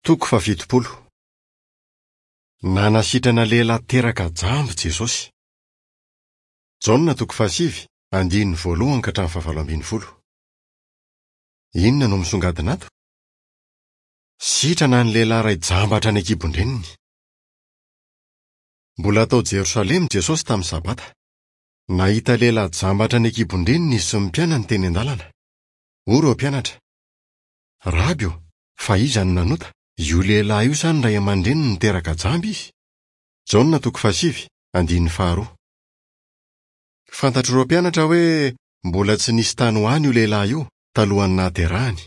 Toko faha-70. Nanasitrana lehilahy teraka jamba Jesosy. Jaona toko fahasivy, andininy voalohany ka hatramin'ny fahavalo ambin'ny folo. Inona no misongadina ato? Sitrana ny lehilahy iray jamba hatrany an-kibon-dreniny. Mbola tao Jerosalema Jesosy tamin'ny Sabata. Nahita lehilahy jamba hatrany an-kibon-dreniny izy sy ny mpianany teny an-dalana. Hoy ireo mpianatra, Raby ô, fa iza no nanota, io lehilahy io sa ny ray aman-dreniny niteraka jamba izy? Jaona toko fahasivy, andininy faharoa. Fantatr'ireo mpianatra hoe mbola tsy nisy tany ho any io lehilahy io talohan'ny nahaterahany.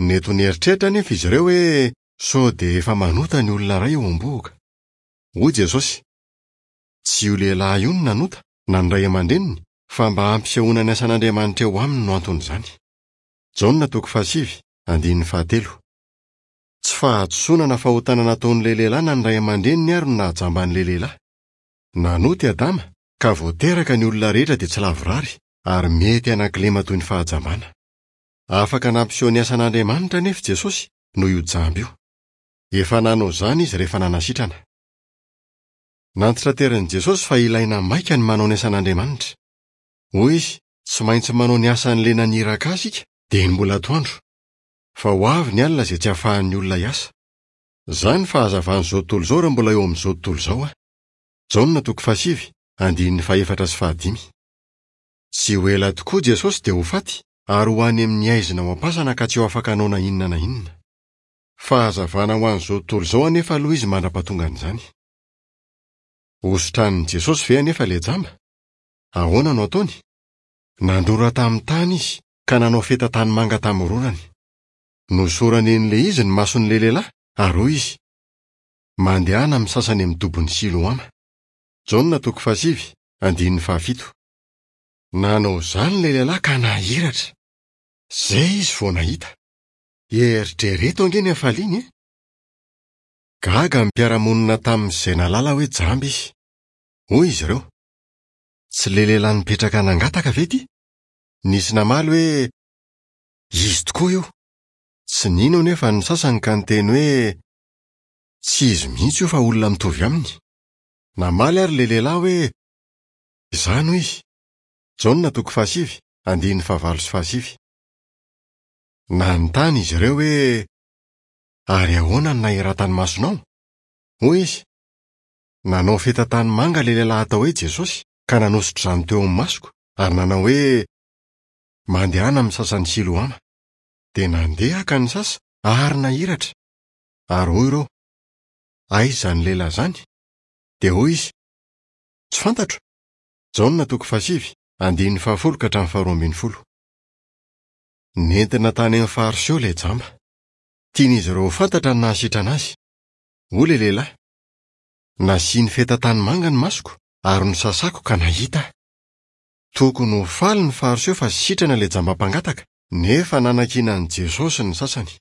Nety ho nieritreritra anefa izy ireo hoe sao dia efa manota ny olona iray eo am-bohoka. Hoy Jesosy, Tsy io lehilahy io no nanota, na ny ray aman-dreniny, fa mba hampisehoana ny asan'Andriamanitra eo aminy no anton'izany. Jaona toko fahasivy, andininy fahatelo. Tsy fahadisoana na fahotana nataon'ilay lehilahy na ny ray aman-dreniny àry no nahajamba an'ilay lehilahy. Nanota i Adama, ka vao teraka ny olona rehetra dia tsy lavorary, ary mety hanan-kilema toy ny fahajambana. Afaka nampiseho ny asan'Andriamanitra anefa i Jesosy noho io jamba io. Efa nanao izany izy rehefa nanasitrana. Nantitraterin'i Jesosy fa ilaina maika ny manao ny asan'Andriamanitra. Hoy izy, Tsy maintsy manao ny asan'ilay naniraka ahy isika, dia ny mbola atoandro. Fa ho avy ny alina izay tsy hahafahan'ny olona hiasa. Izaho ny fahazavan'izao tontolo izao raha mbola eo amin'izao tontolo izao aho. Jaona toko fahasivy, andininy fahefatra sy fahadimy. Tsy ho ela tokoa Jesosy dia ho faty ary ho any amin'ny haizina ao am-pasana ka tsy ho afaka hanao na inona na inona. Fahazavana ho an'izao tontolo izao anefa aloha izy mandra-pahatongan'izany. Hositranin'i Jesosy ve anefa ilay jamba? Ahoana no ataony? Nandrora tamin'ny tany izy ka nanao feta tanimanga tamin'ny rorany. Nosorany an'ilay izy ny mason'ilay lehilahy ary hoy izy, Mandehana amin'ny sasany amin'ny dobon'i Siloama. Jaona toko fahasivy, andininy fahafito. Nanao izany ilay lehilahy ka nahiratra. Izay izy vao nahita. Eritrereto ange ny hafaliany e! Gaga ny mpiara-monina taminy izay nahalala hoe jamba izy. Hoy izy ireo, Tsy ilay lehilahy nipetraka nangataka ve ity? Nisy namaly hoe, Izy tokoa io. Tsy nino anefa ny sasany ka niteny hoe, Tsy izy mihitsy io fa olona mitovy aminy. Namaly àry ilay lehilahy hoe, Izaho no izy. Jaona toko fahasivy, andininy fahavalo sy fahasivy. Nanontany izy ireo hoe, Ary ahoana no nahiratan'ny masonao? Hoy izy, Nanao feta tanimanga ilay lehilahy atao hoe Jesosy ka nanosotra izany teo amin'ny masoko ary nanao hoe, 'Mandehana misasa any Siloama. Dia nandeha aho ka nisasa ary nahiratra. Ary hoy ireo, Aiza izany lehilahy izany? Dia hoy izy, Tsy fantatro. Jaona toko fahasivy, andininy fahafolo ka hatramin'ny faharoa ambin'ny folo. Nentina tany amin'ny Fariseo ilay jamba. Tian'izy ireo ho fantatra ny nahasitrana azy. Hoy ilay lehilahy, Nasiany feta tanimanga ny masoko ary nosasako ka nahita aho. Tokony ho faly ny Fariseo fa sitrana ilay jamba mpangataka, nefa nanakiana an'i Jesosy ny sasany.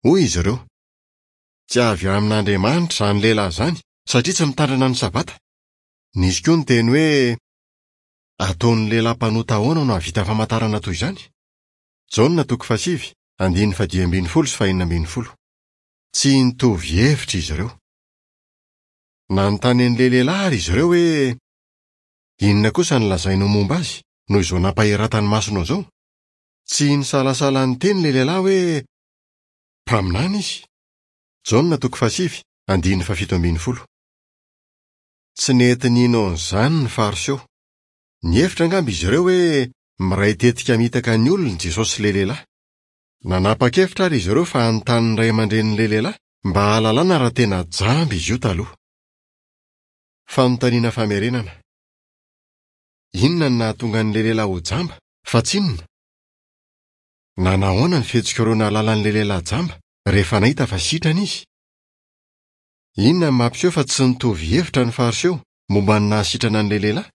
Hoy izy ireo, Tsy avy amin'Andriamanitra izany lehilahy izany, satria tsy mitandrina ny Sabata. Nisy koa niteny hoe, Ataon'ny lehilahy mpanota ahoana no hahavita famantarana toy izany? Jaona toko fahasivy, andininy fahadimy ambin'ny folo sy fahenina ambin'ny folo. Tsy nitovy hevitra izy ireo. Nanontany an'ilay lehilahy àry izy ireo hoe, Inona kosa no lazainao momba azy, noho izao nampahiratany masonao izao? Tsy nisalasala niteny ilay lehilahy hoe, Mpaminany izy. Jaona toko fahasivy, andininy fahafito ambin'ny folo. Tsy nety nino an'izany ny Fariseo. Nihevitra angamba izy ireo hoe miray tetika hamitaka ny olona i Jesosy sy ilay lehilahy. Nanapa-kevitra àry izy ireo fa hanontany ny ray aman-drenin'ilay lehilahy mba hahalalana raha tena jamba izy io taloha. Fanontaniana famerenana. Inona no nahatonga an'ilay lehilahy ho jamba, fa tsy inona? Nanahoana ny fihetsik'ireo nahalala an'ilay lehilahy jamba rehefa nahita fa sitrana izy? Inona no mampiseho fa tsy nitovy hevitra ny Fariseo momba ny nahasitrana an'ilay lehilahy?